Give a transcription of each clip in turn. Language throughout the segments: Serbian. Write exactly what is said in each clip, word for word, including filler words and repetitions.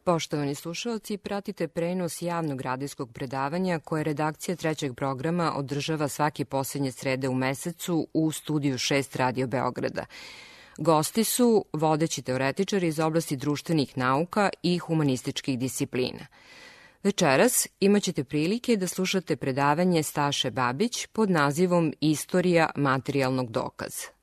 Poštovani slušalci, pratite prenos javnog radijskog predavanja koje redakcija trećeg programa održava svake poslednje srede u mesecu u studiju šest Radio Beograda. Gosti su vodeći teoretičari iz oblasti društvenih nauka i humanističkih disciplina. Večeras imaćete prilike da slušate predavanje Staše Babić pod nazivom Istorija materijalnog dokaza.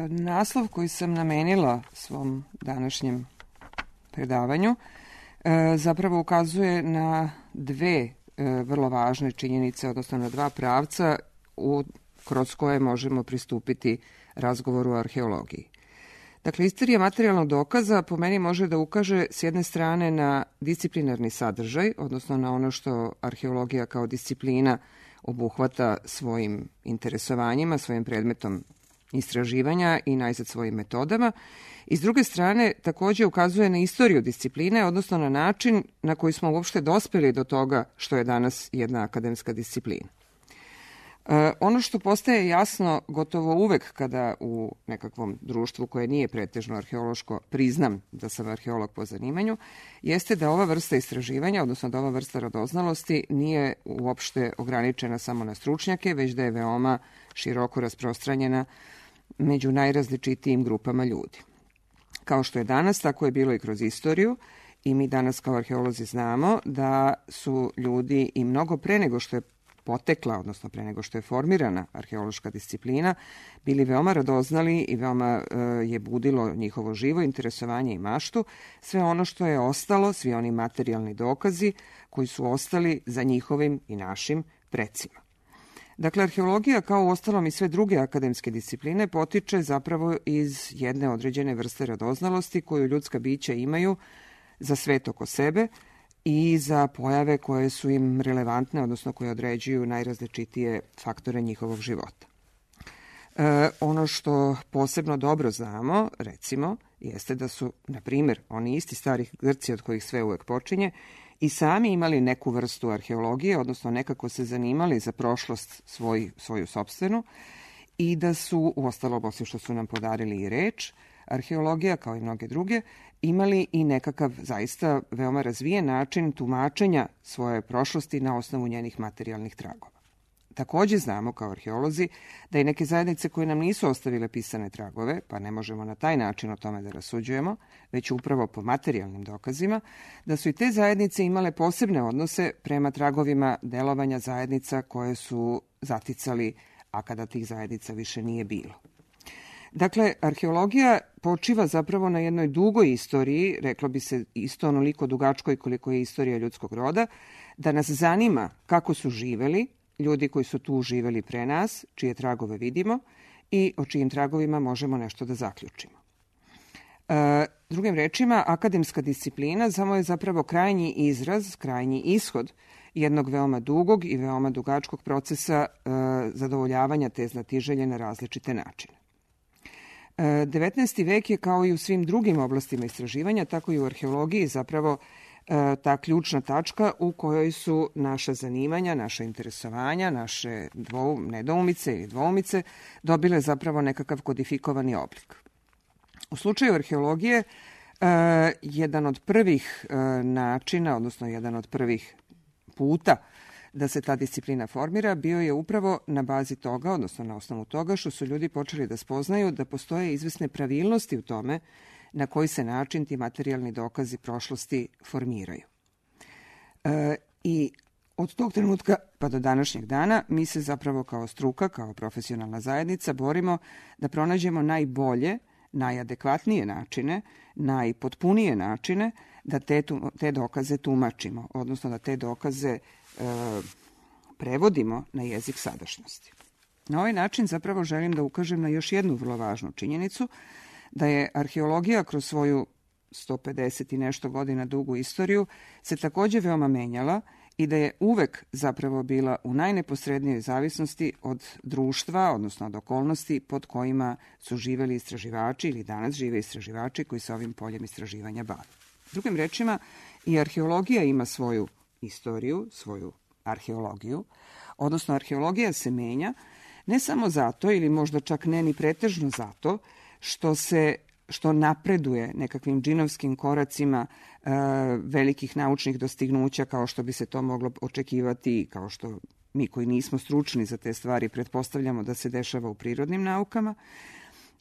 Naslov koji sam namenila svom današnjem predavanju zapravo ukazuje na dve vrlo važne činjenice, odnosno na dva pravca u, kroz koje možemo pristupiti razgovoru o arheologiji. Dakle, istorija materijalnog dokaza po meni može da ukaže s jedne strane na disciplinarni sadržaj, odnosno na ono što arheologija kao disciplina obuhvata svojim interesovanjima, svojim predmetom istraživanja i najzad svojim metodama. I s druge strane, takođe ukazuje na istoriju discipline, odnosno na način na koji smo uopšte dospeli do toga što je danas jedna akademska disciplina. E, ono što postaje jasno gotovo uvek kada u nekakvom društvu koje nije pretežno arheološko priznam da sam arheolog po zanimanju, jeste da ova vrsta istraživanja, odnosno da ova vrsta radoznalosti nije uopšte ograničena samo na stručnjake, već da je veoma široko rasprostranjena među najrazličitijim grupama ljudi. Kao što je danas, tako je bilo i kroz istoriju i mi danas kao arheolozi znamo da su ljudi i mnogo pre nego što je potekla, odnosno pre nego što je formirana arheološka disciplina, bili veoma radoznali i veoma e, je budilo njihovo živo interesovanje i maštu, sve ono što je ostalo, svi oni materijalni dokazi koji su ostali za njihovim i našim precima. Dakle, arheologija, kao u ostalom i sve druge akademske discipline, potiče zapravo iz jedne određene vrste radoznalosti koju ljudska bića imaju za svet oko sebe i za pojave koje su im relevantne, odnosno koje određuju najrazličitije faktore njihovog života. E, ono što posebno dobro znamo, recimo, jeste da su, na primjer, oni isti stari Grci od kojih sve uvek počinje, i sami imali neku vrstu arheologije, odnosno nekako se zanimali za prošlost svoj, svoju sopstvenu i da su, uostalom, osim što su nam podarili i reč, arheologija, kao i mnoge druge, imali i nekakav zaista veoma razvijen način tumačenja svoje prošlosti na osnovu njenih materijalnih tragova. Takođe znamo kao arheolozi da i neke zajednice koje nam nisu ostavile pisane tragove, pa ne možemo na taj način o tome da rasuđujemo, već upravo po materijalnim dokazima, da su i te zajednice imale posebne odnose prema tragovima delovanja zajednica koje su zaticali, a kada tih zajednica više nije bilo. Dakle, arheologija počiva zapravo na jednoj dugoj istoriji, reklo bi se isto onoliko dugačkoj koliko je istorija ljudskog roda, da nas zanima kako su živeli ljudi koji su tu živeli pre nas, čije tragove vidimo i o čijim tragovima možemo nešto da zaključimo. E, drugim rečima, akademska disciplina samo je zapravo krajnji izraz, krajnji ishod jednog veoma dugog i veoma dugačkog procesa e, zadovoljavanja te znatiželje na različite načine. E, devetnaesti vek je kao i u svim drugim oblastima istraživanja, tako i u arheologiji zapravo ta ključna tačka u kojoj su naša zanimanja, naša interesovanja, naše dvou, nedoumice ili dvoumice dobile zapravo nekakav kodifikovani oblik. U slučaju arheologije, eh, jedan od prvih eh, načina, odnosno jedan od prvih puta da se ta disciplina formira, bio je upravo na bazi toga, odnosno na osnovu toga što su ljudi počeli da spoznaju da postoje izvesne pravilnosti u tome na koji se način ti materijalni dokazi prošlosti formiraju. E, I od tog trenutka pa do današnjeg dana mi se zapravo kao struka, kao profesionalna zajednica borimo da pronađemo najbolje, najadekvatnije načine, najpotpunije načine da te, te dokaze tumačimo, odnosno da te dokaze e, prevodimo na jezik sadašnjosti. Na ovaj način zapravo želim da ukažem na još jednu vrlo važnu činjenicu, da je arheologija kroz svoju sto pedeset i nešto godina dugu istoriju se takođe veoma menjala i da je uvek zapravo bila u najneposrednijoj zavisnosti od društva, odnosno od okolnosti pod kojima su živeli istraživači ili danas žive istraživači koji se ovim poljem istraživanja bave. Drugim rečima, i arheologija ima svoju istoriju, svoju arheologiju, odnosno arheologija se menja ne samo zato ili možda čak ne ni pretežno zato što se što napreduje nekakvim džinovskim koracima e, velikih naučnih dostignuća kao što bi se to moglo očekivati, kao što mi koji nismo stručni za te stvari pretpostavljamo da se dešava u prirodnim naukama,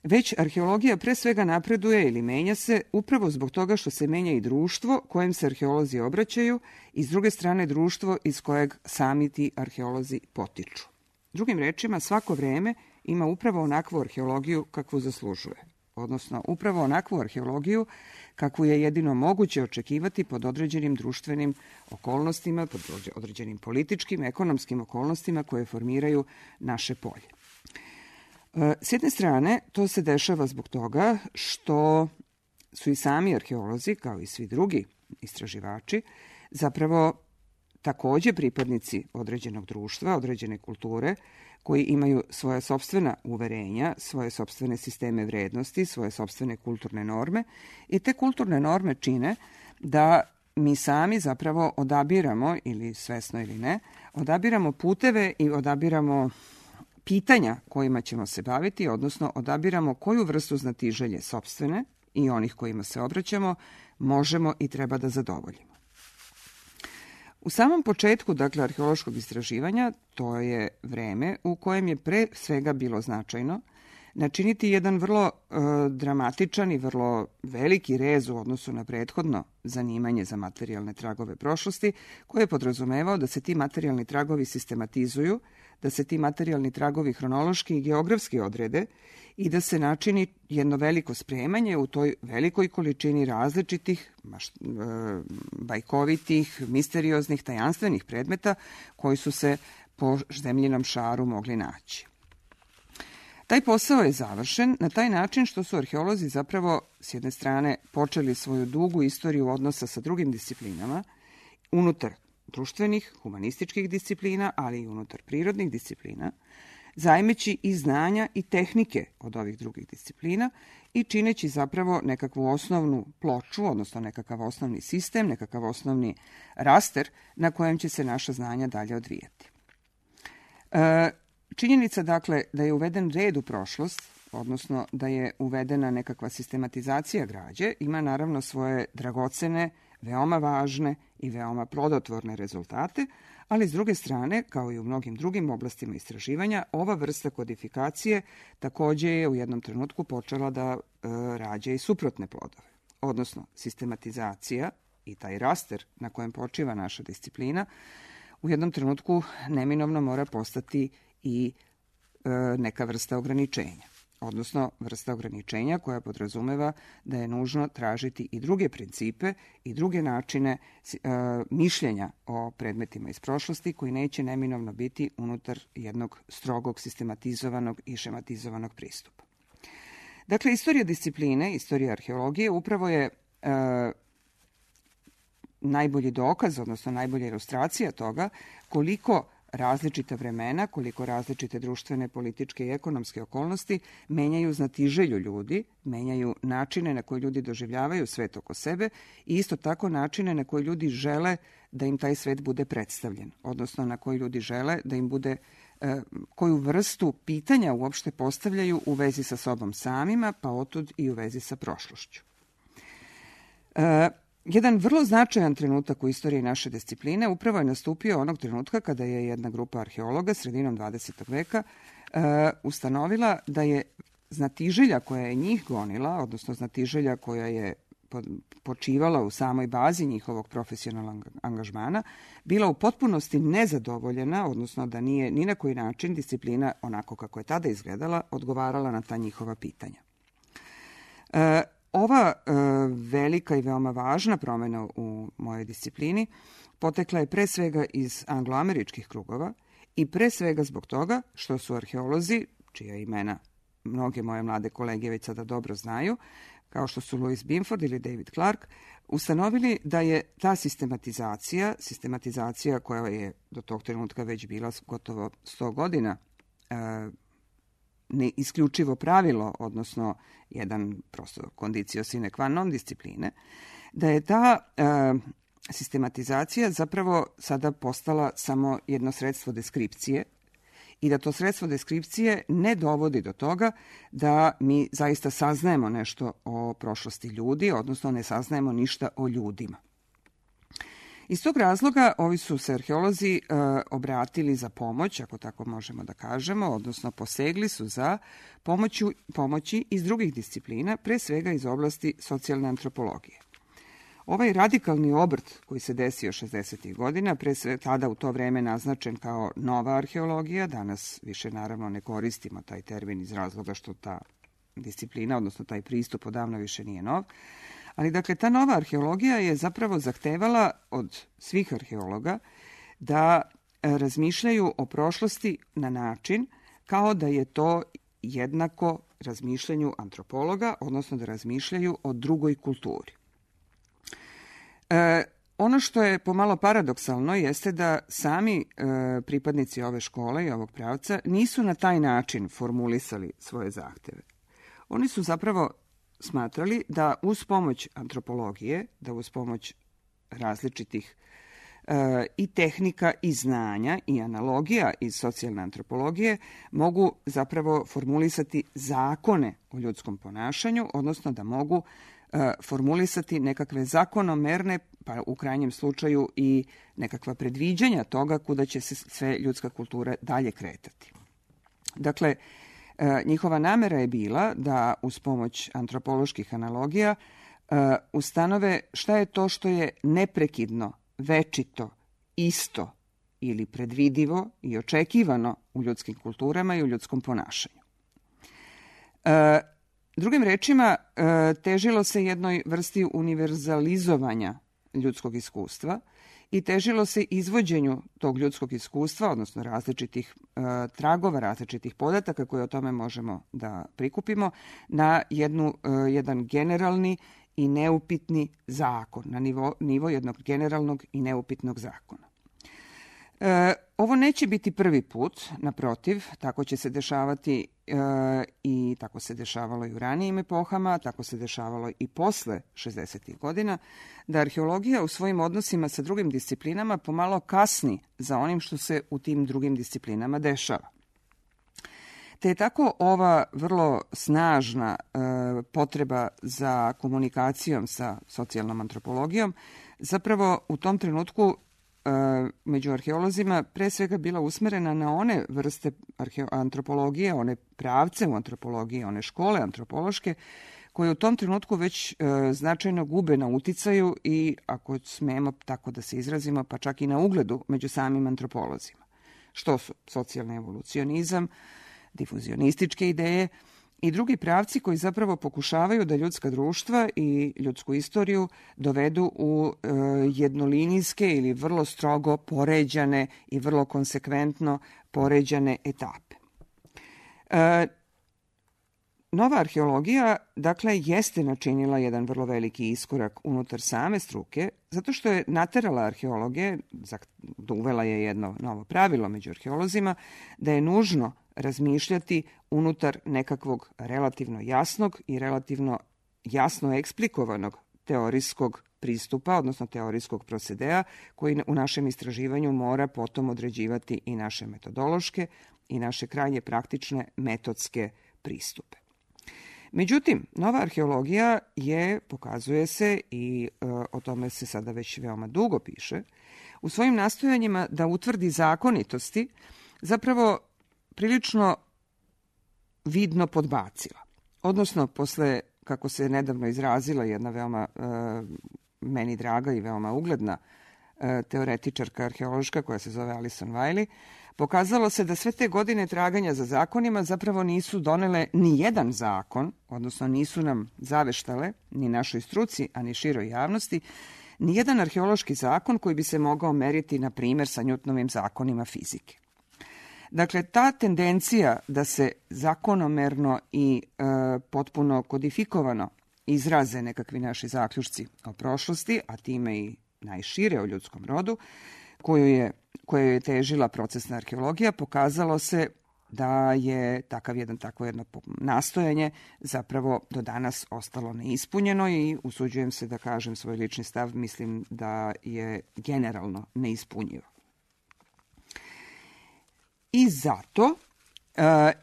već arheologija pre svega napreduje ili menja se upravo zbog toga što se menja i društvo kojem se arheolozi obraćaju i s druge strane društvo iz kojeg sami ti arheolozi potiču. Drugim rečima, svako vreme ima upravo onakvu arheologiju kakvu zaslužuje, odnosno upravo onakvu arheologiju kakvu je jedino moguće očekivati pod određenim društvenim okolnostima, pod određenim političkim, ekonomskim okolnostima koje formiraju naše polje. S jedne strane, to se dešava zbog toga što su i sami arheolozi, kao i svi drugi istraživači, zapravo takođe pripadnici određenog društva, određene kulture, koji imaju svoje sopstvena uverenja, svoje sopstvene sisteme vrednosti, svoje sopstvene kulturne norme i te kulturne norme čine da mi sami zapravo odabiramo, ili svesno ili ne, odabiramo puteve i odabiramo pitanja kojima ćemo se baviti, odnosno odabiramo koju vrstu znatiželje sopstvene i onih kojima se obraćamo možemo i treba da zadovoljimo. U samom početku, dakle, arheološkog istraživanja, to je vreme u kojem je pre svega bilo značajno načiniti jedan vrlo e, dramatičan i vrlo veliki rez u odnosu na prethodno zanimanje za materijalne tragove prošlosti, koje je podrazumevao da se ti materijalni tragovi sistematizuju, da se ti materijalni tragovi hronološki i geografski odrede i da se načini jedno veliko spremanje u toj velikoj količini različitih, bajkovitih, misterioznih, tajanstvenih predmeta koji su se po zemljinom šaru mogli naći. Taj posao je završen na taj način što su arheolozi zapravo s jedne strane počeli svoju dugu istoriju odnosa sa drugim disciplinama unutar društvenih, humanističkih disciplina, ali i unutar prirodnih disciplina, zajmeći i znanja i tehnike od ovih drugih disciplina i čineći zapravo nekakvu osnovnu ploču, odnosno nekakav osnovni sistem, nekakav osnovni raster na kojem će se naša znanja dalje odvijati. E, činjenica, dakle, da je uveden red u prošlost, odnosno da je uvedena nekakva sistematizacija građe, ima naravno svoje dragocene, veoma važne i veoma plodotvorne rezultate, ali s druge strane, kao i u mnogim drugim oblastima istraživanja, ova vrsta kodifikacije takođe je u jednom trenutku počela da e, rađa i suprotne plodove. Odnosno, sistematizacija i taj raster na kojem počiva naša disciplina u jednom trenutku neminovno mora postati i e, neka vrsta ograničenja. Odnosno vrsta ograničenja koja podrazumeva da je nužno tražiti i druge principe i druge načine e, mišljenja o predmetima iz prošlosti koji neće neminovno biti unutar jednog strogog, sistematizovanog i šematizovanog pristupa. Dakle, istorija discipline, istorija arheologije upravo je e, najbolji dokaz, odnosno najbolja ilustracija toga koliko različita vremena, koliko različite društvene, političke i ekonomske okolnosti menjaju znatiželju ljudi, menjaju načine na koje ljudi doživljavaju svet oko sebe i isto tako načine na koje ljudi žele da im taj svet bude predstavljen, odnosno na koji ljudi žele da im bude, koju vrstu pitanja uopšte postavljaju u vezi sa sobom samima, pa otud i u vezi sa prošlošću. E, Jedan vrlo značajan trenutak u istoriji naše discipline upravo je nastupio onog trenutka kada je jedna grupa arheologa sredinom dvadesetog veka uh, ustanovila da je znatiželja koja je njih gonila, odnosno znatiželja koja je počivala u samoj bazi njihovog profesionalnog angažmana, bila u potpunosti nezadovoljena, odnosno da nije ni na koji način disciplina, onako kako je tada izgledala, odgovarala na ta njihova pitanja. Uh, Ova e, velika i veoma važna promena u mojoj disciplini potekla je pre svega iz angloameričkih krugova i pre svega zbog toga što su arheolozi, čija imena mnoge moje mlade kolege već sada dobro znaju, kao što su Louis Binford ili David Clark, ustanovili da je ta sistematizacija, sistematizacija koja je do tog trenutka već bila gotovo sto godina e, ne isključivo pravilo, odnosno jedan prosto condicio sine qua non discipline, da je ta e, sistematizacija zapravo sada postala samo jedno sredstvo deskripcije i da to sredstvo deskripcije ne dovodi do toga da mi zaista saznajemo nešto o prošlosti ljudi, odnosno ne saznajemo ništa o ljudima. Iz tog razloga ovi su se arheolozi e, obratili za pomoć, ako tako možemo da kažemo, odnosno posegli su za pomoću, pomoći iz drugih disciplina, pre svega iz oblasti socijalne antropologije. Ovaj radikalni obrt koji se desio šezdesetih godina, pre sve tada u to vreme naznačen kao nova arheologija, danas više naravno ne koristimo taj termin iz razloga što ta disciplina, odnosno taj pristup odavno više nije nov, ali dakle ta nova arheologija je zapravo zahtevala od svih arheologa da razmišljaju o prošlosti na način kao da je to jednako razmišljanju antropologa, odnosno da razmišljaju o drugoj kulturi. E, ono što je pomalo paradoksalno jeste da sami e, pripadnici ove škole i ovog pravca nisu na taj način formulisali svoje zahteve. Oni su zapravo smatrali da uz pomoć antropologije, da uz pomoć različitih e, i tehnika i znanja i analogija iz socijalne antropologije mogu zapravo formulisati zakone o ljudskom ponašanju, odnosno da mogu e, formulisati nekakve zakonomerne, pa u krajnjem slučaju i nekakva predviđanja toga kuda će se sve ljudska kultura dalje kretati. Dakle, njihova namera je bila da uz pomoć antropoloških analogija ustanove šta je to što je neprekidno, večito, isto ili predvidivo i očekivano u ljudskim kulturama i u ljudskom ponašanju. Drugim rečima, težilo se jednoj vrsti univerzalizovanja ljudskog iskustva i težilo se izvođenju tog ljudskog iskustva, odnosno različitih e, tragova, različitih podataka koje o tome možemo da prikupimo, na jednu, e, jedan generalni i neupitni zakon, na nivo, nivo jednog generalnog i neupitnog zakona. E, ovo neće biti prvi put, naprotiv, tako će se dešavati e, i tako se dešavalo i u ranijim epohama, tako se dešavalo i posle šezdesetih godina, da arheologija u svojim odnosima sa drugim disciplinama pomalo kasni za onim što se u tim drugim disciplinama dešava. Te je tako ova vrlo snažna e, potreba za komunikacijom sa socijalnom antropologijom zapravo u tom trenutku među arheolozima pre svega bila usmerena na one vrste antropologije, one pravce u antropologiji, one škole antropološke, koje u tom trenutku već e, značajno gube na uticaju i, ako smemo tako da se izrazimo, pa čak i na ugledu među samim antropolozima. Što su socijalni evolucionizam, difuzionističke ideje i drugi pravci koji zapravo pokušavaju da ljudska društva i ljudsku istoriju dovedu u e, jednolinijske ili vrlo strogo poređane i vrlo konsekventno poređane etape. E, nova arheologija, dakle, jeste načinila jedan vrlo veliki iskorak unutar same struke, zato što je naterala arheologe, uvela je jedno novo pravilo među arheolozima, da je nužno razmišljati unutar nekakvog relativno jasnog i relativno jasno eksplikovanog teorijskog pristupa, odnosno teorijskog procedea, koji u našem istraživanju mora potom određivati i naše metodološke i naše krajnje praktične metodske pristupe. Međutim, nova arheologija je, pokazuje se, i e, o tome se sada već veoma dugo piše, u svojim nastojanjima da utvrdi zakonitosti zapravo prilično vidno podbacila. Odnosno, posle, kako se nedavno izrazila jedna veoma e, meni draga i veoma ugledna e, teoretičarka arheološka koja se zove Alison Wiley, pokazalo se da sve te godine traganja za zakonima zapravo nisu donele ni jedan zakon, odnosno nisu nam zaveštale, ni našoj struci, a ni široj javnosti, ni jedan arheološki zakon koji bi se mogao meriti, na primjer, sa Newtonovim zakonima fizike. Dakle, ta tendencija da se zakonomerno i e, potpuno kodifikovano izraze nekakvi naši zaključci o prošlosti, a time i najšire o ljudskom rodu, koju je, koju je težila procesna arheologija, pokazalo se da je takav jedan, takvo jedno nastojanje zapravo do danas ostalo neispunjeno i usuđujem se da kažem svoj lični stav, mislim da je generalno neispunjivo. I zato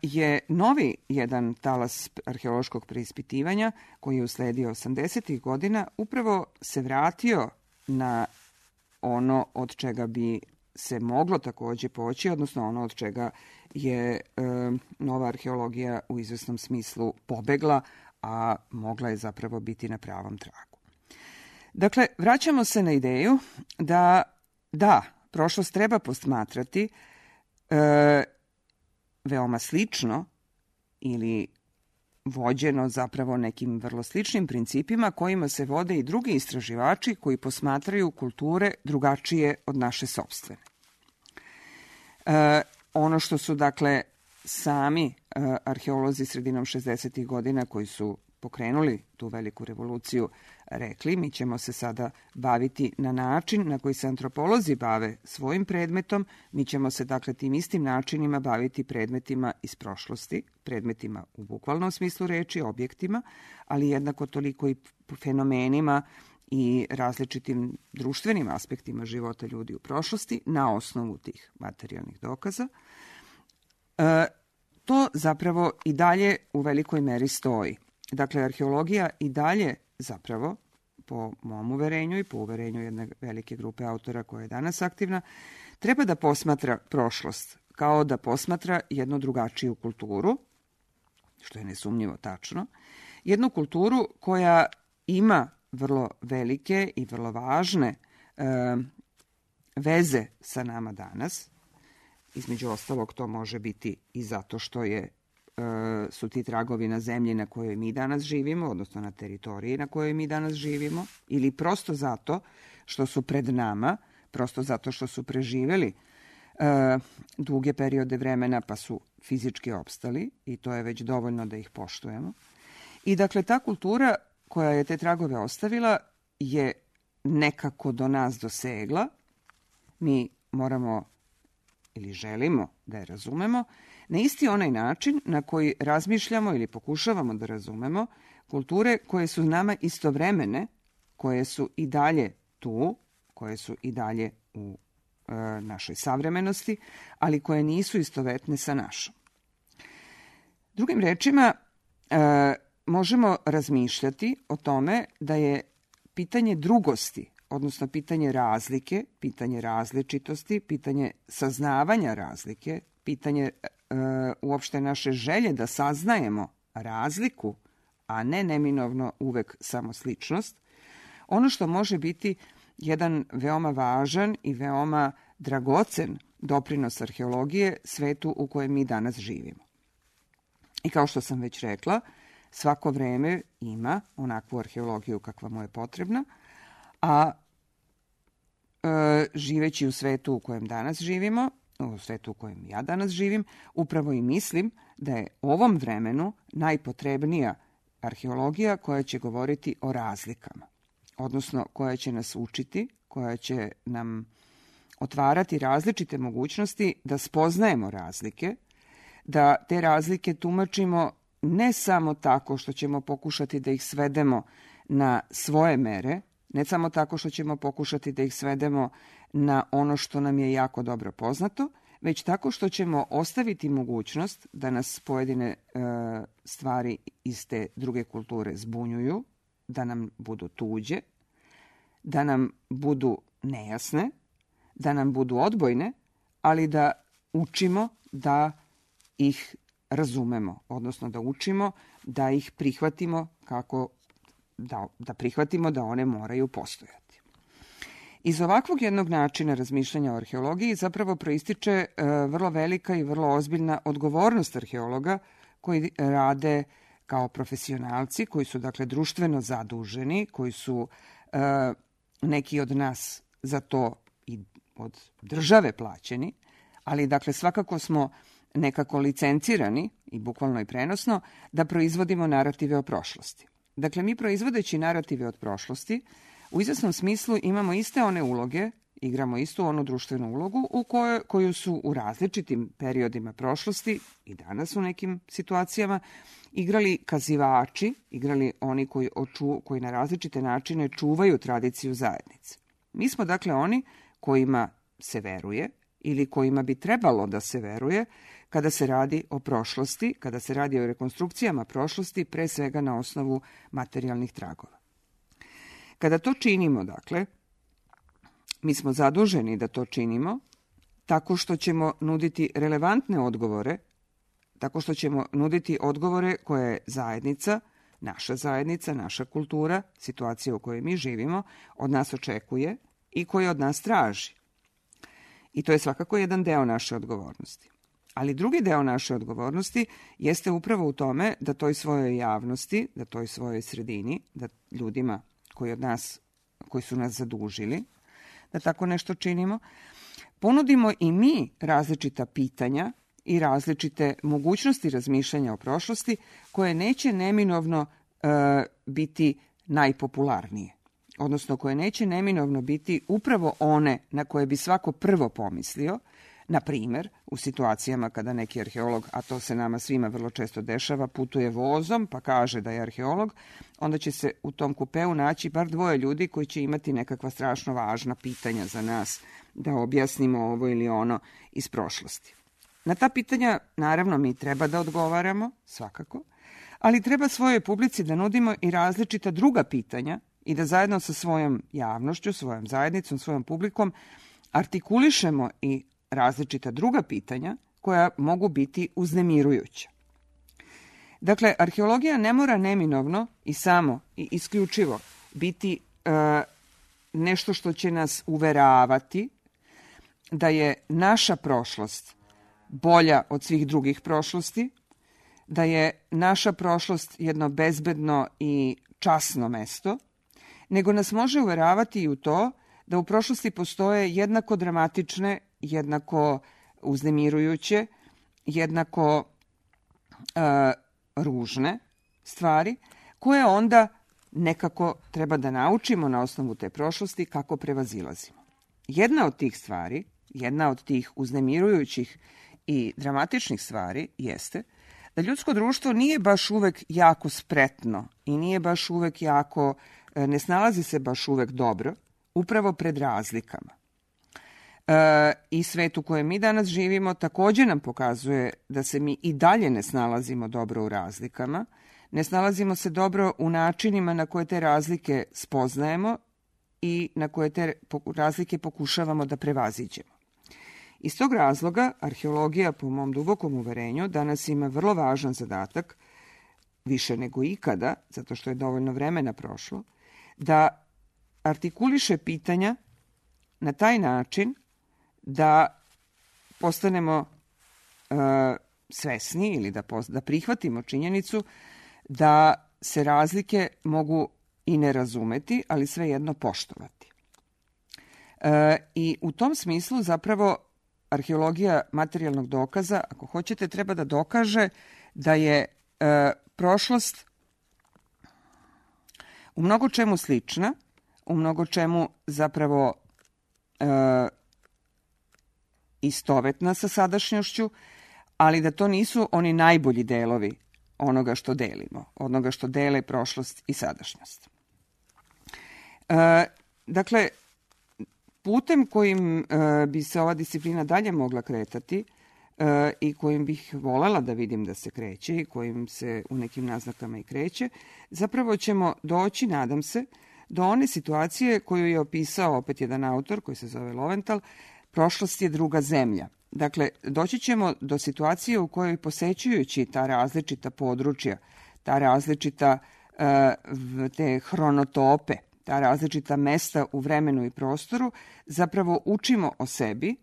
je novi jedan talas arheološkog preispitivanja koji je usledio osamdesetih godina upravo se vratio na ono od čega bi se moglo takođe poći, odnosno ono od čega je e, nova arheologija u izvesnom smislu pobegla, a mogla je zapravo biti na pravom tragu. Dakle, vraćamo se na ideju da, da, prošlost treba posmatrati e, veoma slično ili vođeno zapravo nekim vrlo sličnim principima kojima se vode i drugi istraživači koji posmatraju kulture drugačije od naše sopstvene. E, ono što su, dakle, sami e, arheolozi sredinom šezdesetih godina koji su pokrenuli tu veliku revoluciju rekli, mi ćemo se sada baviti na način na koji se antropolozi bave svojim predmetom, mi ćemo se, dakle, tim istim načinima baviti predmetima iz prošlosti, predmetima u bukvalnom smislu reči, objektima, ali jednako toliko i fenomenima i različitim društvenim aspektima života ljudi u prošlosti na osnovu tih materijalnih dokaza. E, to zapravo i dalje u velikoj meri stoji. Dakle, arheologija i dalje zapravo, po mom uverenju i po uverenju jedne velike grupe autora koja je danas aktivna, treba da posmatra prošlost kao da posmatra jednu drugačiju kulturu, što je nesumnjivo tačno, jednu kulturu koja ima vrlo velike i vrlo važne e, veze sa nama danas. Između ostalog, to može biti i zato što je su ti tragovi na zemlji na kojoj mi danas živimo, odnosno na teritoriji na kojoj mi danas živimo, ili prosto zato što su pred nama, prosto zato što su preživeli e, duge periode vremena pa su fizički opstali i to je već dovoljno da ih poštujemo. I dakle, ta kultura koja je te tragove ostavila je nekako do nas dosegla. Mi moramo ili želimo da je razumemo na isti onaj način na koji razmišljamo ili pokušavamo da razumemo kulture koje su nama istovremene, koje su i dalje tu, koje su i dalje u e, našoj savremenosti, ali koje nisu istovetne sa našom. Drugim rečima, e, možemo razmišljati o tome da je pitanje drugosti, odnosno pitanje razlike, pitanje različitosti, pitanje saznavanja razlike, pitanje e, uopšte naše želje da saznajemo razliku, a ne neminovno uvek samo sličnost, ono što može biti jedan veoma važan i veoma dragocen doprinos arheologije svetu u kojem mi danas živimo. I kao što sam već rekla, svako vreme ima onakvu arheologiju kakva mu je potrebna, a e, živeći u svetu u kojem danas živimo, u svetu u kojem ja danas živim, upravo i mislim da je ovom vremenu najpotrebnija arheologija koja će govoriti o razlikama, odnosno koja će nas učiti, koja će nam otvarati različite mogućnosti da spoznajemo razlike, da te razlike tumačimo ne samo tako što ćemo pokušati da ih svedemo na svoje mere, ne samo tako što ćemo pokušati da ih svedemo na ono što nam je jako dobro poznato, već tako što ćemo ostaviti mogućnost da nas pojedine e, stvari iz te druge kulture zbunjuju, da nam budu tuđe, da nam budu nejasne, da nam budu odbojne, ali da učimo da ih razumemo, odnosno da učimo da ih prihvatimo kako da, da prihvatimo da one moraju postojati. Iz ovakvog jednog načina razmišljanja o arheologiji zapravo proističe e, vrlo velika i vrlo ozbiljna odgovornost arheologa koji rade kao profesionalci, koji su dakle društveno zaduženi, koji su e, neki od nas za to i od države plaćeni, ali dakle svakako smo nekako licencirani i bukvalno i prenosno da proizvodimo narative o prošlosti. Dakle, mi proizvodeći narative od prošlosti u izvesnom smislu imamo iste one uloge, igramo istu onu društvenu ulogu u kojoj, koju su u različitim periodima prošlosti i danas u nekim situacijama igrali kazivači, igrali oni koji, oču, koji na različite načine čuvaju tradiciju zajednice. Mi smo dakle oni kojima se veruje ili kojima bi trebalo da se veruje kada se radi o prošlosti, kada se radi o rekonstrukcijama prošlosti, pre svega na osnovu materijalnih tragova. Kada to činimo, dakle, mi smo zaduženi da to činimo tako što ćemo nuditi relevantne odgovore, tako što ćemo nuditi odgovore koje je zajednica, naša zajednica, naša kultura, situacija u kojoj mi živimo, od nas očekuje i koje od nas traži. I to je svakako jedan deo naše odgovornosti. Ali drugi deo naše odgovornosti jeste upravo u tome da toj svojoj javnosti, da toj svojoj sredini, da ljudima koji od nas, koji su nas zadužili, da tako nešto činimo, ponudimo i mi različita pitanja i različite mogućnosti razmišljanja o prošlosti koje neće neminovno e, biti najpopularnije, odnosno koje neće neminovno biti upravo one na koje bi svako prvo pomislio, na primer u situacijama kada neki arheolog, a to se nama svima vrlo često dešava, putuje vozom pa kaže da je arheolog, onda će se u tom kupeu naći bar dvoje ljudi koji će imati nekakva strašno važna pitanja za nas da objasnimo ovo ili ono iz prošlosti. Na ta pitanja, naravno, mi treba da odgovaramo, svakako, ali treba svojoj publici da nudimo i različita druga pitanja i da zajedno sa svojom javnošću, svojom zajednicom, svojom publikom artikulišemo i različita druga pitanja koja mogu biti uznemirujuća. Dakle, arheologija ne mora neminovno i samo i isključivo biti e, nešto što će nas uveravati da je naša prošlost bolja od svih drugih prošlosti, da je naša prošlost jedno bezbedno i časno mesto, nego nas može uveravati i u to da u prošlosti postoje jednako dramatične, jednako uznemirujuće, jednako e, ružne stvari, koje onda nekako treba da naučimo na osnovu te prošlosti kako prevazilazimo. Jedna od tih stvari, jedna od tih uznemirujućih i dramatičnih stvari jeste da ljudsko društvo nije baš uvek jako spretno i nije baš uvek jako, ne snalazi se baš uvek dobro, upravo pred razlikama. E, I svet u kojem mi danas živimo također nam pokazuje da se mi i dalje ne snalazimo dobro u razlikama, ne snalazimo se dobro u načinima na koje te razlike spoznajemo i na koje te razlike pokušavamo da prevaziđemo. Iz tog razloga arheologija, po mom dubokom uverenju, danas ima vrlo važan zadatak, više nego ikada, zato što je dovoljno vremena prošlo, da artikuliše pitanja na taj način da postanemo e, svesni ili da, da prihvatimo činjenicu da se razlike mogu i ne razumeti, ali svejedno poštovati. E, I u tom smislu zapravo arheologija materijalnog dokaza, ako hoćete, treba da dokaže da je e, prošlost u mnogo čemu slična, u mnogo čemu zapravo e, istovetna sa sadašnjošću, ali da to nisu oni najbolji delovi onoga što delimo, onoga što dele prošlost i sadašnjost. E, dakle, putem kojim e, bi se ova disciplina dalje mogla kretati e, i kojim bih volela da vidim da se kreće i kojim se u nekim naznakama i kreće, zapravo ćemo doći, nadam se, do one situacije koju je opisao opet jedan autor koji se zove Loventhal, prošlost je druga zemlja. Dakle, doći ćemo do situacije u kojoj posećujući ta različita područja, ta različita e, te hronotope, ta različita mesta u vremenu i prostoru, zapravo učimo o sebi,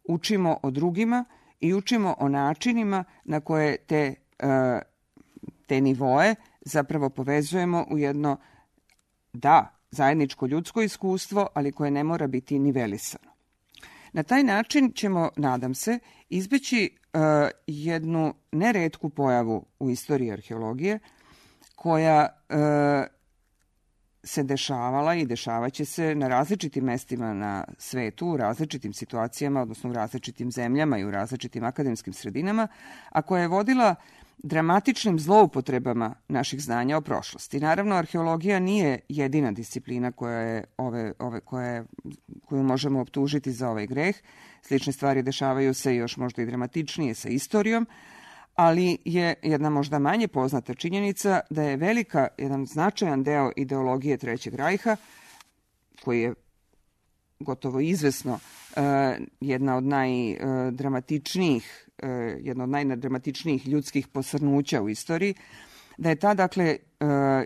učimo o drugima i učimo o načinima na koje te, e, te nivoe zapravo povezujemo u jedno, da, zajedničko ljudsko iskustvo, ali koje ne mora biti nivelisano. Na taj način ćemo, nadam se, izbeći uh, jednu neretku pojavu u istoriji arheologije koja uh, se dešavala i dešavaće se na različitim mestima na svetu, u različitim situacijama, odnosno u različitim zemljama i u različitim akademskim sredinama, a koja je vodila dramatičnim zloupotrebama naših znanja o prošlosti. Naravno, arheologija nije jedina disciplina koja je ove, ove, koja je, koju možemo optužiti za ovaj greh. Slične stvari dešavaju se još možda i dramatičnije sa istorijom, ali je jedna možda manje poznata činjenica da je velika, jedan značajan deo ideologije Trećeg rajha, koji je gotovo izvesno jedna od najdramatičnijih, jedna od najdramatičnijih ljudskih posrnuća u istoriji, da je ta, dakle,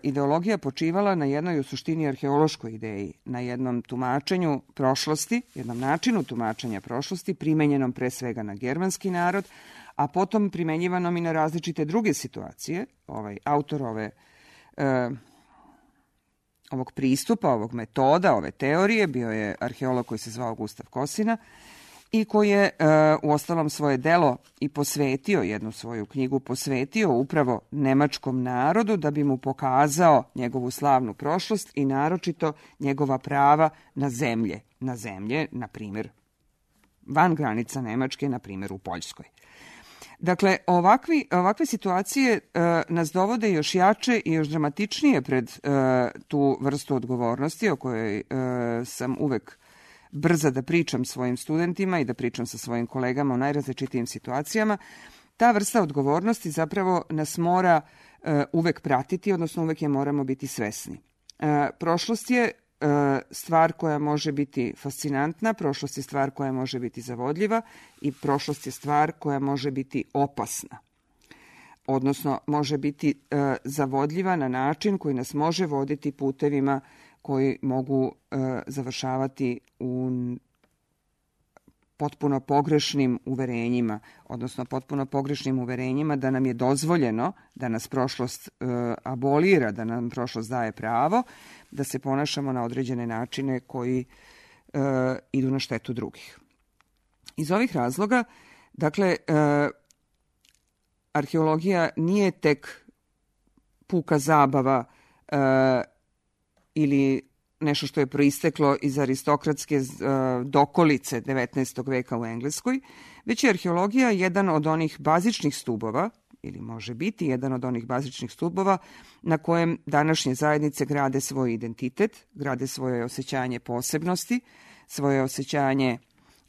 ideologija počivala na jednoj u suštini arheološkoj ideji, na jednom tumačenju prošlosti, jednom načinu tumačenja prošlosti, primenjenom pre svega na germanski narod, a potom primenjivanom i na različite druge situacije. Ovaj autor ove ovog pristupa, ovog metoda, ove teorije bio je arheolog koji se zvao Gustav Kosina i koji je u ostalom svoje delo i posvetio, jednu svoju knjigu posvetio upravo nemačkom narodu da bi mu pokazao njegovu slavnu prošlost i naročito njegova prava na zemlje, na zemlje, na primjer, van granica Nemačke, na primjer u Poljskoj. Dakle, ovakvi, ovakve situacije e, nas dovode još jače i još dramatičnije pred e, tu vrstu odgovornosti o kojoj e, sam uvek brza da pričam svojim studentima i da pričam sa svojim kolegama u najrazličitijim situacijama. Ta vrsta odgovornosti zapravo nas mora e, uvek pratiti, odnosno uvek je moramo biti svesni. E, prošlost je stvar koja može biti fascinantna, prošlost je stvar koja može biti zavodljiva i prošlost je stvar koja može biti opasna. Odnosno, može biti e, zavodljiva na način koji nas može voditi putevima koji mogu e, završavati u potpuno pogrešnim uverenjima, odnosno potpuno pogrešnim uverenjima da nam je dozvoljeno da nas prošlost e, abolira, da nam prošlost daje pravo, da se ponašamo na određene načine koji e, idu na štetu drugih. Iz ovih razloga, dakle, e, arheologija nije tek puka zabava e, ili nešto što je proisteklo iz aristokratske dokolice devetnaestog veka u Engleskoj, već je arheologija jedan od onih bazičnih stubova, ili može biti jedan od onih bazičnih stubova na kojem današnje zajednice grade svoj identitet, grade svoje osjećanje posebnosti, svoje osjećanje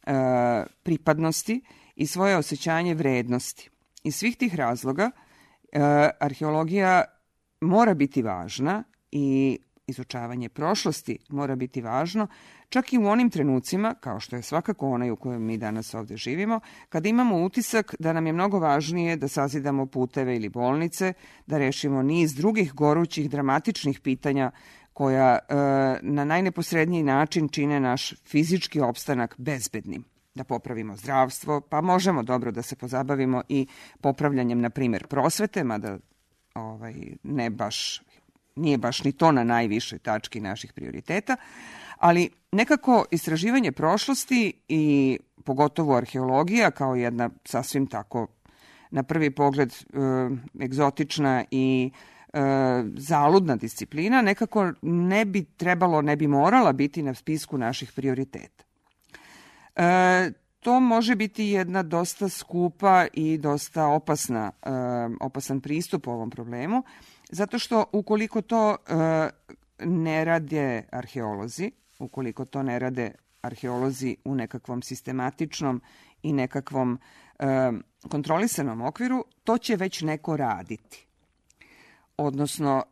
e, pripadnosti i svoje osjećanje vrednosti. Iz svih tih razloga e, arheologija mora biti važna i izučavanje prošlosti mora biti važno, čak i u onim trenucima, kao što je svakako onaj u kojem mi danas ovdje živimo, kada imamo utisak da nam je mnogo važnije da sazidamo puteve ili bolnice, da rešimo niz drugih gorućih, dramatičnih pitanja koja e, na najneposredniji način čine naš fizički opstanak bezbednim. Da popravimo zdravstvo, pa možemo dobro da se pozabavimo i popravljanjem, na primjer, prosvete, mada ovaj, ne baš... Nije baš ni to na najvišoj tački naših prioriteta, ali nekako istraživanje prošlosti i pogotovo arheologija kao jedna sasvim tako na prvi pogled e, egzotična i e, zaludna disciplina nekako ne bi trebalo, ne bi morala biti na spisku naših prioriteta. E, to može biti jedna dosta skupa i dosta opasna, e, opasan pristup ovom problemu, zato što ukoliko to e, ne rade arheolozi, ukoliko to ne rade arheolozi u nekakvom sistematičnom i nekakvom e, kontrolisanom okviru, to će već neko raditi. Odnosno,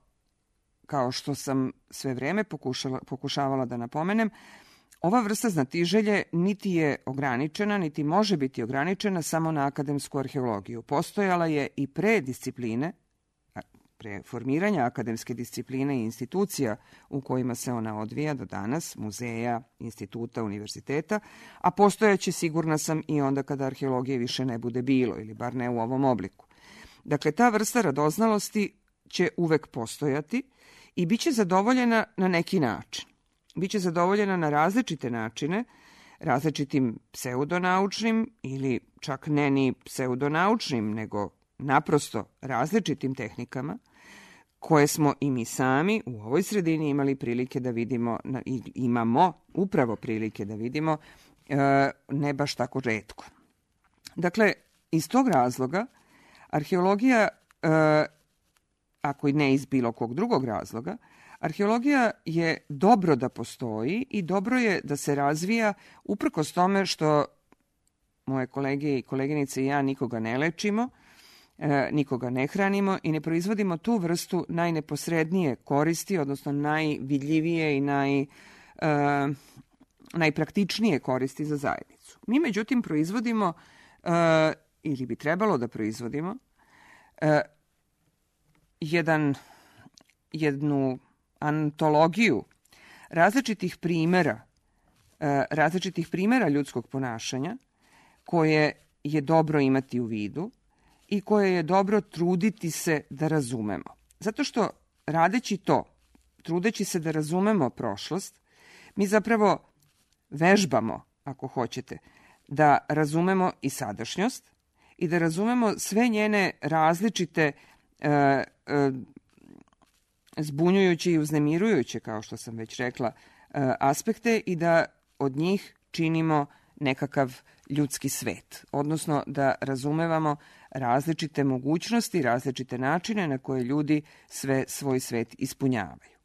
kao što sam sve vreme pokušala, pokušavala da napomenem, ova vrsta znatiželje niti je ograničena, niti može biti ograničena samo na akademsku arheologiju. Postojala je i pre discipline, pre formiranja akademske discipline i institucija u kojima se ona odvija do danas, muzeja, instituta, univerziteta, a postojaće, sigurna sam, i onda kada arheologije više ne bude bilo, ili bar ne u ovom obliku. Dakle, ta vrsta radoznalosti će uvek postojati i bit će zadovoljena na neki način. Biće zadovoljena na različite načine, različitim pseudonaučnim ili čak ne ni pseudonaučnim, nego naprosto različitim tehnikama koje smo i mi sami u ovoj sredini imali prilike da vidimo, i imamo upravo prilike da vidimo, ne baš tako retko. Dakle, iz tog razloga Arheologija, e, ako i ne iz bilo kog drugog razloga, arheologija je dobro da postoji i dobro je da se razvija uprkos tome što moje kolege i koleginice i ja nikoga ne lečimo, e, nikoga ne hranimo i ne proizvodimo tu vrstu najneposrednije koristi, odnosno najvidljivije i naj, e, najpraktičnije koristi za zajednicu. Mi, međutim, proizvodimo, e, ili bi trebalo da proizvodimo, e, jedan, jednu antologiju različitih primera, e, različitih primera ljudskog ponašanja koje je dobro imati u vidu i koje je dobro truditi se da razumemo. Zato što radeći to, trudeći se da razumemo prošlost, mi zapravo vežbamo, ako hoćete, da razumemo i sadašnjost i da razumemo sve njene različite e, e, zbunjujuće i uznemirujuće, kao što sam već rekla, e, aspekte i da od njih činimo nekakav ljudski svet, odnosno da razumevamo različite mogućnosti, različite načine na koje ljudi sve svoj svet ispunjavaju.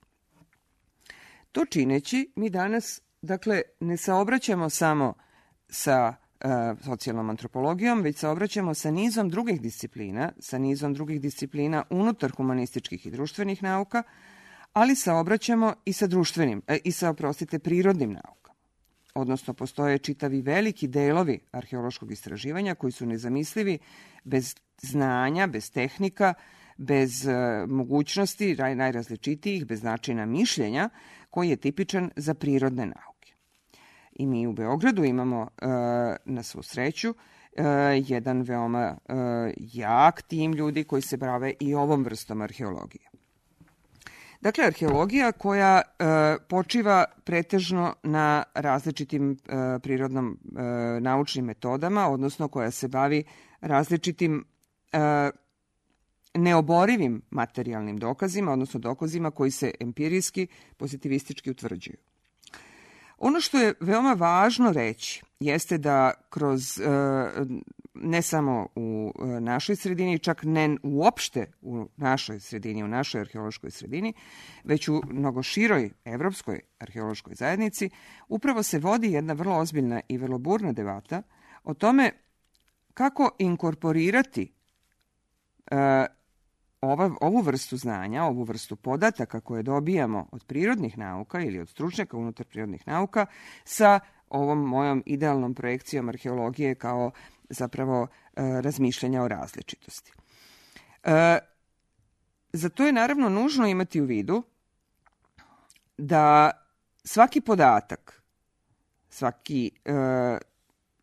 To čineći, mi danas, dakle, ne saobraćamo samo sa e, socijalnom antropologijom, već saobraćamo sa nizom drugih disciplina, sa nizom drugih disciplina unutar humanističkih i društvenih nauka, ali saobraćamo i sa društvenim, e, i sa, oprostite, prirodnim naukama. Odnosno, postoje čitavi veliki delovi arheološkog istraživanja koji su nezamislivi bez znanja, bez tehnika, bez e, mogućnosti najrazličitijih, bez načina mišljenja koji je tipičan za prirodne nauke. I mi u Beogradu imamo, e, na svu sreću, e, jedan veoma e, jak tim ljudi koji se bave i ovom vrstom arheologije. Dakle, arheologija koja e, počiva pretežno na različitim e, prirodnom e, naučnim metodama, odnosno koja se bavi različitim e, neoborivim materijalnim dokazima, odnosno dokazima koji se empirijski, pozitivistički utvrđuju. Ono što je veoma važno reći jeste da kroz, e, ne samo u našoj sredini, čak ne uopšte u našoj sredini, u našoj arheološkoj sredini, već u mnogo široj evropskoj arheološkoj zajednici, upravo se vodi jedna vrlo ozbiljna i vrlo burna debata o tome kako inkorporirati e, ova, ovu vrstu znanja, ovu vrstu podataka koje dobijamo od prirodnih nauka ili od stručnjaka unutar prirodnih nauka sa ovom mojom idealnom projekcijom arheologije kao zapravo e, razmišljanja o različitosti. E, za to je naravno nužno imati u vidu da svaki podatak, svaki, e,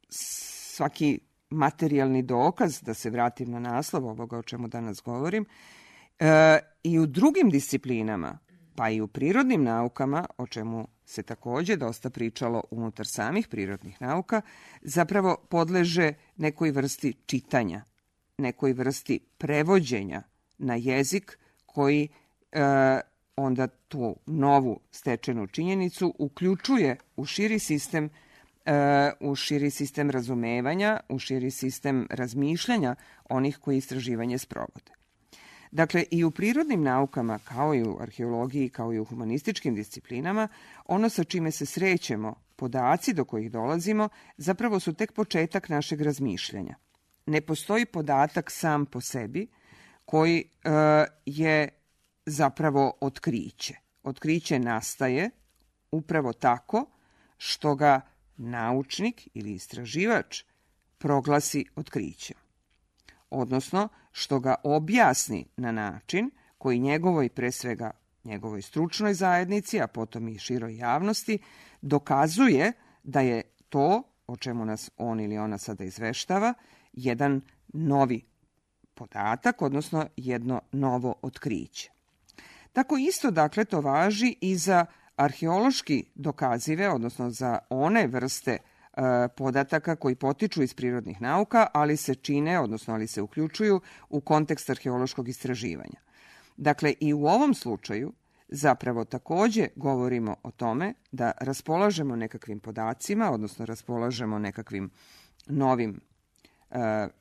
svaki materijalni dokaz, da se vratim na naslov ovoga o čemu danas govorim, e, i u drugim disciplinama, pa i u prirodnim naukama, o čemu se takođe dosta pričalo unutar samih prirodnih nauka, zapravo podleže nekoj vrsti čitanja, nekoj vrsti prevođenja na jezik koji e, onda tu novu stečenu činjenicu uključuje u širi sistem e, u širi sistem razumevanja, u širi sistem razmišljanja onih koji istraživanje sprovode. Dakle, i u prirodnim naukama, kao i u arheologiji, kao i u humanističkim disciplinama, ono sa čime se srećemo, podaci do kojih dolazimo, zapravo su tek početak našeg razmišljanja. Ne postoji podatak sam po sebi koji e, je zapravo otkriće. Otkriće nastaje upravo tako što ga naučnik ili istraživač proglasi otkrićem. Odnosno, što ga objasni na način koji njegovoj, pre svega njegovoj stručnoj zajednici, a potom i široj javnosti, dokazuje da je to, o čemu nas on ili ona sada izveštava, jedan novi podatak, odnosno jedno novo otkriće. Tako isto, dakle, to važi i za arheološki dokazive, odnosno za one vrste podataka koji potiču iz prirodnih nauka, ali se čine, odnosno ali se uključuju u kontekst arheološkog istraživanja. Dakle, i u ovom slučaju zapravo takođe govorimo o tome da raspolažemo nekakvim podacima, odnosno raspolažemo nekakvim novim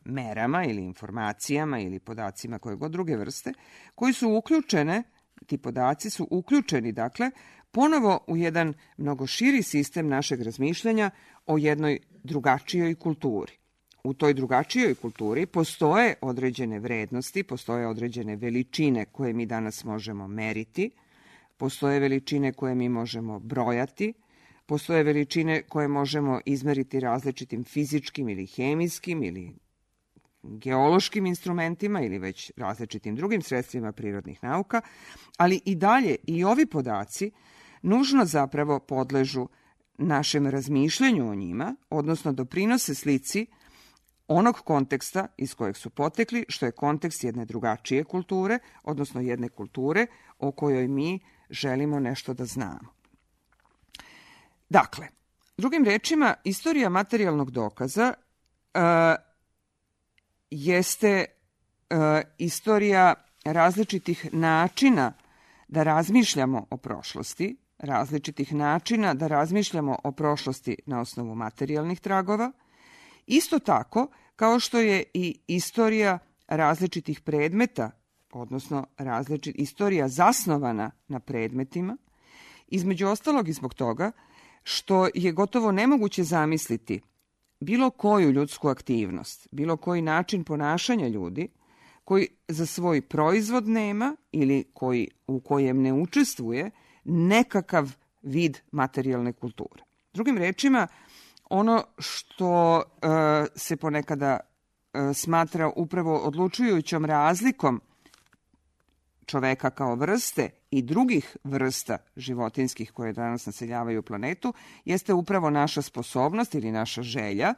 merama ili informacijama ili podacima koje god druge vrste, koji su uključene, ti podaci su uključeni, dakle, ponovo u jedan mnogo širi sistem našeg razmišljanja o jednoj drugačijoj kulturi. U toj drugačijoj kulturi postoje određene vrednosti, postoje određene veličine koje mi danas možemo meriti, postoje veličine koje mi možemo brojati, postoje veličine koje možemo izmeriti različitim fizičkim ili hemijskim ili geološkim instrumentima ili već različitim drugim sredstvima prirodnih nauka, ali i dalje i ovi podaci nužno zapravo podležu našem razmišljanju o njima, odnosno doprinose slici onog konteksta iz kojeg su potekli, što je kontekst jedne drugačije kulture, odnosno jedne kulture o kojoj mi želimo nešto da znamo. Dakle, drugim rečima, istorija materijalnog dokaza uh, jeste uh, istorija različitih načina da razmišljamo o prošlosti, različitih načina da razmišljamo o prošlosti na osnovu materijalnih tragova, isto tako kao što je i istorija različitih predmeta, odnosno različit, istorija zasnovana na predmetima, između ostalog i zbog toga što je gotovo nemoguće zamisliti bilo koju ljudsku aktivnost, bilo koji način ponašanja ljudi koji za svoj proizvod nema ili koji, u kojem ne učestvuje nekakav vid materijalne kulture. Drugim rečima, ono što uh, se ponekada uh, smatra upravo odlučujućom razlikom čoveka kao vrste i drugih vrsta životinskih koje danas naseljavaju planetu, jeste upravo naša sposobnost ili naša želja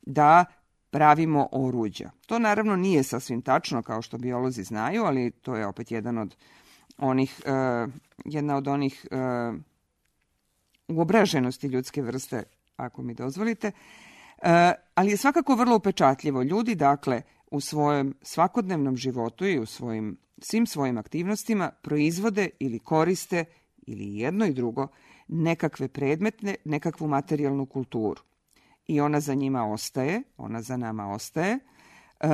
da pravimo oruđa. To naravno nije sasvim tačno kao što biolozi znaju, ali to je opet jedan od onih, uh, jedna od onih uh, uobraženosti ljudske vrste, ako mi dozvolite, uh, ali je svakako vrlo upečatljivo. Ljudi, dakle, u svojem svakodnevnom životu i u svojim, svim svojim aktivnostima proizvode ili koriste ili jedno i drugo nekakve predmetne, nekakvu materijalnu kulturu. I ona za njima ostaje, ona za nama ostaje uh,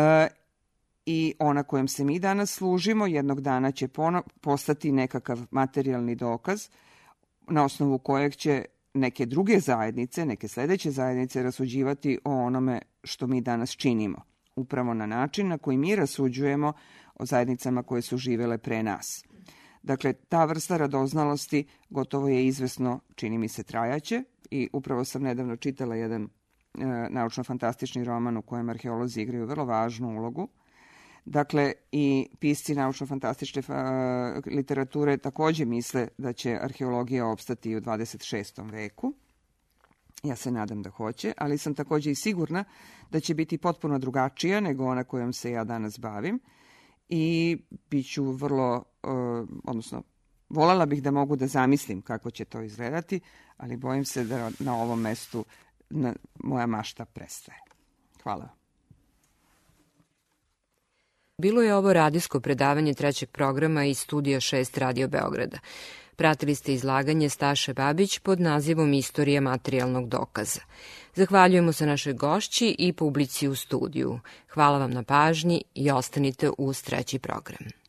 i ona kojom se mi danas služimo jednog dana će pono, postati nekakav materijalni dokaz na osnovu kojeg će neke druge zajednice, neke sledeće zajednice rasuđivati o onome što mi danas činimo. Upravo na način na koji mi rasuđujemo o zajednicama koje su živele pre nas. Dakle, ta vrsta radoznalosti gotovo je izvesno, čini mi se, trajaće i upravo sam nedavno čitala jedan e, naučno-fantastični roman u kojem arheolozi igraju vrlo važnu ulogu. Dakle, i pisci naučno-fantastične uh, literature takođe misle da će arheologija opstati i u dvadeset šestom veku. Ja se nadam da hoće, ali sam takođe i sigurna da će biti potpuno drugačija nego ona kojom se ja danas bavim i bit ću vrlo, uh, odnosno, voljela bih da mogu da zamislim kako će to izgledati, ali bojim se da na ovom mestu na, moja mašta prestaje. Hvala. Bilo je ovo radijsko predavanje trećeg programa iz studija šest Radio Beograda. Pratili ste izlaganje Staše Babić pod nazivom Istorija materijalnog dokaza. Zahvaljujemo se našoj gošći i publici u studiju. Hvala vam na pažnji i ostanite uz treći program.